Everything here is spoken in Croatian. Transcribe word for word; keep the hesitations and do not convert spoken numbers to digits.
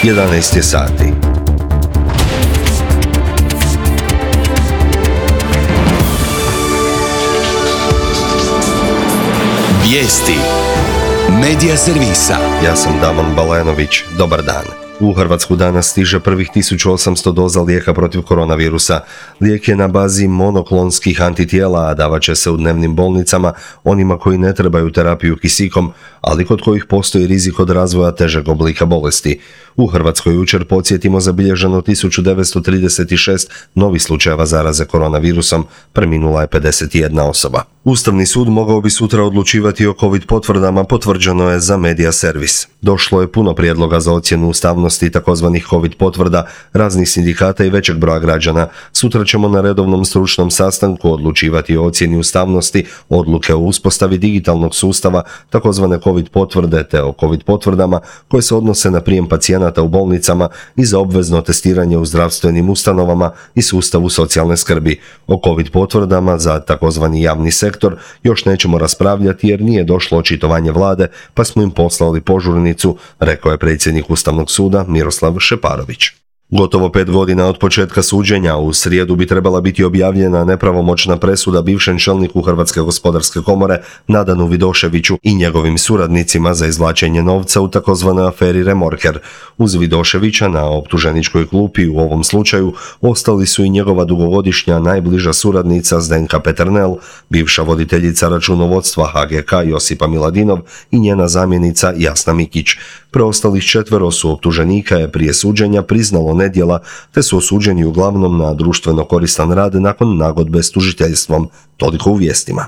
jedanaest je sati. Vijesti Medija servisa. Ja sam Damon Balenović. Dobar dan. U Hrvatsku danas stiže prvih tisuću osamsto doza lijeka protiv koronavirusa. Lijek je na bazi monoklonskih antitijela, a davat će se u dnevnim bolnicama onima koji ne trebaju terapiju kisikom, ali kod kojih postoji rizik od razvoja težeg oblika bolesti. U Hrvatskoj jučer, podsjetimo, zabilježeno tisuću devetsto trideset šest novih slučajeva zaraze koronavirusom, preminula je pedeset jedna osoba. Ustavni sud mogao bi sutra odlučivati o COVID potvrdama, potvrđeno je za Medija servis. Došlo je puno prijedloga za ocjenu ustavnosti takozvanih COVID potvrda raznih sindikata i većeg broja građana. Sutra ćemo na redovnom stručnom sastanku odlučivati o ocjeni ustavnosti odluke o uspostavi digitalnog sustava takozvane COVID potvrde te o COVID potvrdama koje se odnose na prijem pacijenata u bolnicama i za obvezno testiranje u zdravstvenim ustanovama i sustavu socijalne skrbi. O COVID potvrdama za takozvani javni sektor još nećemo raspravljati jer nije došlo očitovanje vlade, pa smo im poslali požurnicu, rekao je predsjednik Ustavnog suda Miroslav Šeparović. Gotovo pet godina od početka suđenja, u srijedu bi trebala biti objavljena nepravomoćna presuda bivšem čelniku Hrvatske gospodarske komore Nadanu Vidoševiću i njegovim suradnicima za izvlačenje novca u takozvanoj aferi Remorker. Uz Vidoševića na optuženičkoj klupi u ovom slučaju ostali su i njegova dugogodišnja najbliža suradnica Zdenka Peternel, bivša voditeljica računovodstva H G K Josipa Miladinov i njena zamjenica Jasna Mikić. Preostalih četvero su optuženika je prije suđenja priznalo nedjela, te su osuđeni uglavnom na društveno koristan rad nakon nagodbe s tužiteljstvom. Toliko u vijestima.